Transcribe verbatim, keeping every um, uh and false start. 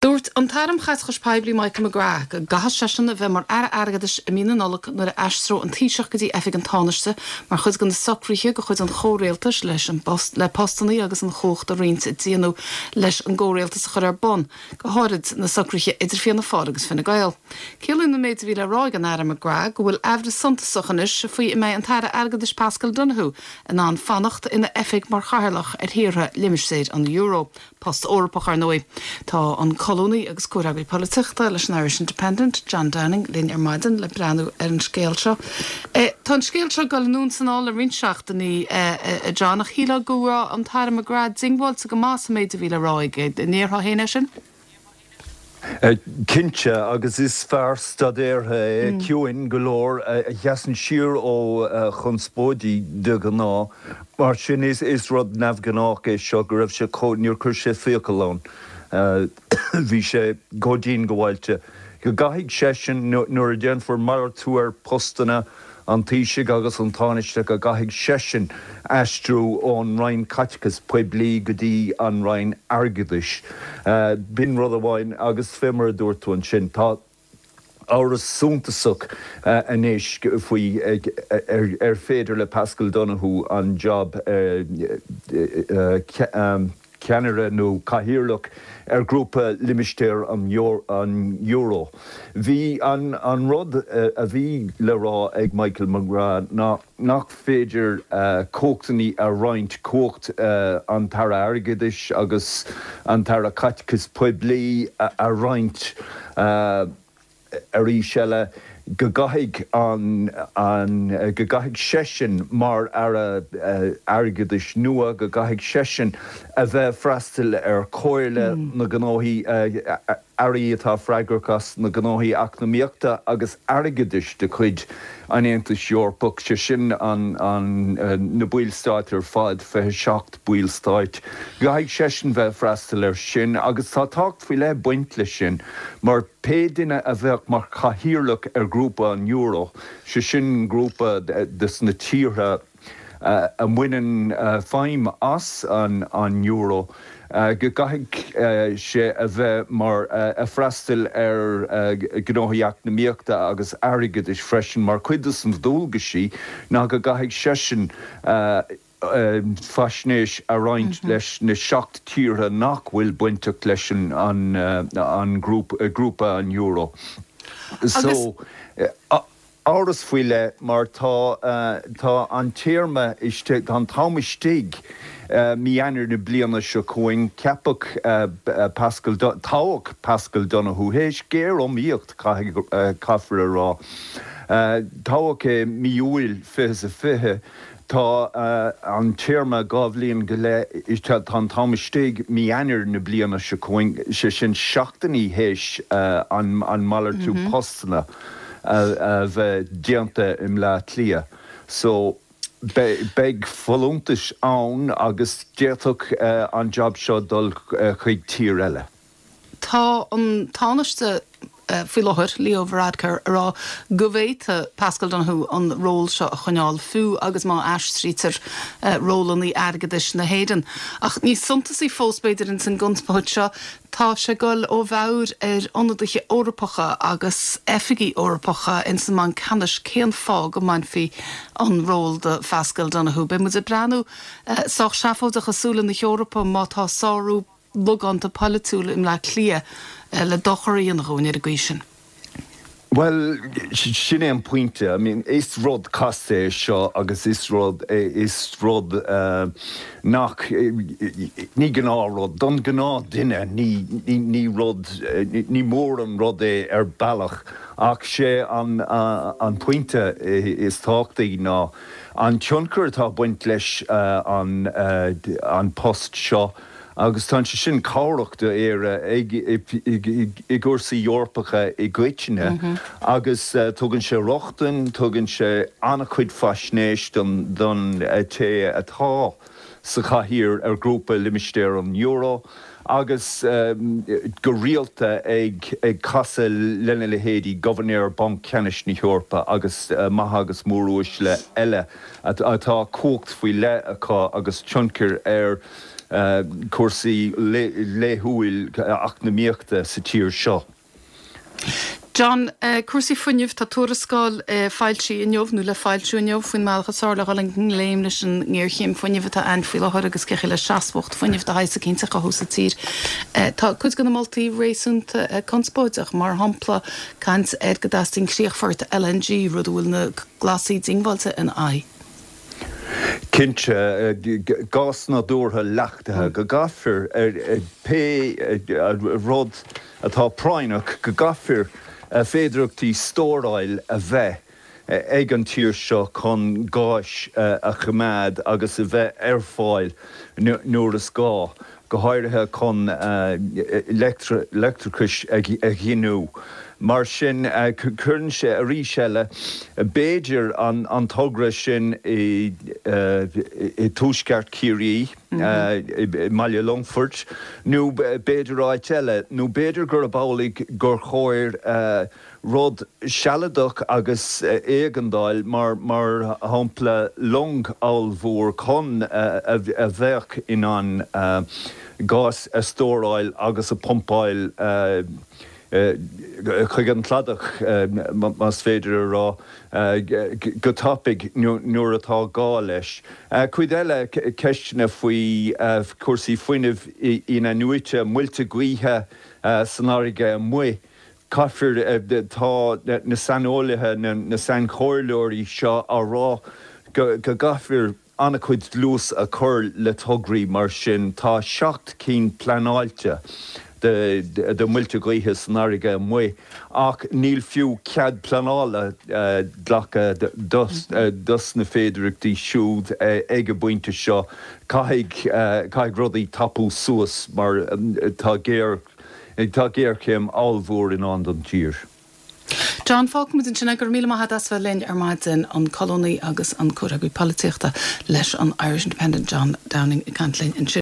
Dúirt an tAire um Chaiteachas Poiblí Michael McGrath go gcaithfidh seisean a bheith mar Aire Airgeadais i mí na Nollag nuair a aistreoidh an Taoiseach go dtí oifig an Tánaiste mar chuid de na socruithe de chuid an chomhrialtais leis an bpost le postanna agus an chumhacht a roinnt a déanadh leis an gcomhrialtas a chur ar bun, go háirid na socruithe idir Fianna Fáil agus Fine Gael. Ciallaíonn an méid a bhí le rá ag an Aire McGrath go bhfuil amhras suntasach anois faoi an mbeidh an tAire Airgeadais Paschal Donohoe in ann fanacht ina oifig mar chathaoirleach ar thíortha limistéar an euro. Post Eorpach ar ndóigh. Tá an colúnaí agus comhfhreagraí polaitíochta leis an Irish Independent, John Downing, linn ar maidin le breathnú ar an scéal seo. E, tá an scéal seo ag dul anonn is anall le roinnt seachtainí e, John ach shílfeá go raibh an tAire McGrath diongbháilte go maith sa méid a bhí le rá aige an ndéarfá féin é sin? Cinnte agus is fear staidéartha é mm. ciúin go leor a sheasann siar ó chonspóidí de ghnáth mar sin is is rud neamhghnách é seo go raibh sé níor chuir sé fiacail ann. Bhí sé go diongbháilte. Go gcaithfidh seisean nuair a déanfar malartú ar postanna an Taoisigh agus an Tánaiste go gcaithfidh seisean aistriú ón Roinn Caiteachais Poiblí go dtí an Roinn Airgeadais. B'in rud amháin agus fé mar a dúirt tú ansin tá amhras suntasach anois faoi ar féidir le Paschal Donohoe an job ceannaire nó cathaoirleach ar grúpa limistéar an euro. Bhí an, an rud a bhí le rá ag Michael McGrath ná nach féidir uh, cumhachtaí a roinnt cumhacht uh, an tAire Airgeadais agus an tAire Caiteachais Poiblí a, a roinnt uh, arís eile go gcaithfidh an an go gcaithfidh seisean mar Aire Airgeadais nua go gcaithfidh seisean a bheith freastal ar chomhairle mm. na gnóthaí airí atá freagrach as na gnóthaí eacnamaíochta agus airgeadais de chuid an Aontais Eorpach sé sin an, an, na ballstáit ar fad fiche seacht ballstáit. Caithfidh seisean bheith freastal ar sin agus tá tábhacht faoi leith baint leis sin mar pé duine a bheadh mar chathaoirleach ar grúpa an euro, sé sin grúpa de na tíortha a mbaineann feidhm as an, an euro. go gcaithfidh sé a bheith mar a freastal ar gnóthaí eacnamaíochta agus airgeadais freisin mar chuid de na dualgaisí ná go gcaithfidh seisean faisnéis a roinnt leis na seacht tíortha nach bhfuil bainteach leis an, an, an grúpa an euro. So amhras faoi leith mar tá tá an téarma tá an t-am istigh mí Eanáir na bliana seo chugainn ceapadh Paschal toghadh Paschal Donohoe théis géar-iomaíocht caithfear a rá. Toghadh é mí Iúil fiche a fiche Tá an téarma dhá bhliain go leith tá an t-am istigh mí Eanáir na bliana seo chugainn sé sin seachtainí théis an an malartú postanna a bheith déanta i mBleá Cliath. So beidh folúntais ann agus d'fhéadfadh an job seo dul chuig tír eile. Tá an Tánaiste faoi láthair Leo Varadkar a rá go bhféadfadh Paschal Donohoe an ról seo a choinneáil fiú agus má aistrítear rólanna airgeadais na hÉireann. Ach níos suntasaí fós b'fhéidir in san gconspóid seo tá sé ag dul ó mheabhair ar ionadaithe Eorpacha agus oifigí Eorpacha in san mBanc Ceannais cén fáth go mbainfí an ról de Paschal Donohoe. Beidh muid ag breathnú sách seafóideach i súile na hEorpa má tá sárú logánta polaitiúil i mBleá Cliath le dochar a dhéanamh ar an gcaoi sin. Well sin é an pointe I mean is rud casta é seo agus is rud is rud uh, nach ní gnáthrud don ghnáthdhuine ní, ní, ní rud ní mór an rud é ar bealach ach sé an, uh, an pointe is tábhachtaí ná an tionchar atá baint leis uh, an, uh, an post seo agus tá sé sin cabhrach d'Éire ag i gcúrsaí Eorpacha i gcoitinne mm -hmm. agus uh, tugann sé rochtain, tugann sé an-chuid faisnéis don, don uh, té atá sa chathaoir ar grúpa limistéar an euro agus um, go rialta ag ag casadh lena leithéidí Gobharnóir Banc Ceannais na hEorpa agus uh, maithe agus móruaisle eile atá cumhacht faoi leith acu agus tionchar ar cúrsaí laethúil eacnamaíochta sa tír seo. John, cúrsaí fuinnimh, tá tuarascáil foilsithe inniu nó le foilsiú inniu faoin mbealach is fearr le dhul i ngleic leis an ngéarchéim fuinnimh atá ann faoi láthair agus cé le seasmhacht fuinnimh de shaghas éicint a chothú sa tír. Tá cuid de na moltaí réasúnta conspóideach, mar shampla caint ar go dteastaíonn críochfort L N G, rud a bhfuil na Glasaigh diongbháilte ina aghaidh. Cinnte, gás nádúrtha leachtaithe, go gcaithfear pé rud atá práinneach, go gcaithfear féidearthachtaí stóráil a bheith ag an tír seo chun gáis a choimeád agus a bheith ar fáil nuair is gá, go háirithe chun leictreachais a ghiniúint. Mar sin cuireann sé arís eile b'fhéidir an an togra sin i i tuaisceart Chiarraí i mBaile Longfoirt nó b'fhéidir áit eile nó b'fhéidir gurb amhlaidh gur chóir rud sealadach agus éigeandáil mar mar shampla long ollmhór chun a bheadh in ann gás a stóráil agus a phumpáil chuig an cladach, más féidir a rá, go tapaidh nuair atá gá leis. Cuid eile ceisteanna faoi cúrsaí fuinnimh in-athnuaite, muilte gaoithe san fharraige amuigh. Caithfear, tá na saineolaithe, na sainchomhairleoirí seo á rá go gcaithfear an-chuid dlús a chur le tograí mar sin. Tá seacht cinn pleanáilte de de muilte gaoithe san fharraige amuigh ach níl fiú cead pleanála glactha dos dos na féidearthachtaí siúd ag an bpointe seo. Caithfidh caithfidh rudaí tapú suas mar tá géar tá géarchéim ollmhór i ndán don tír. John, fágfaimid ansin é. Go raibh míle maith agat as bheith linn ar maidin, an colúnaí agus an comhfhreagraí polaitíochta leis an Irish Independent John Downing ag caint linn ansin.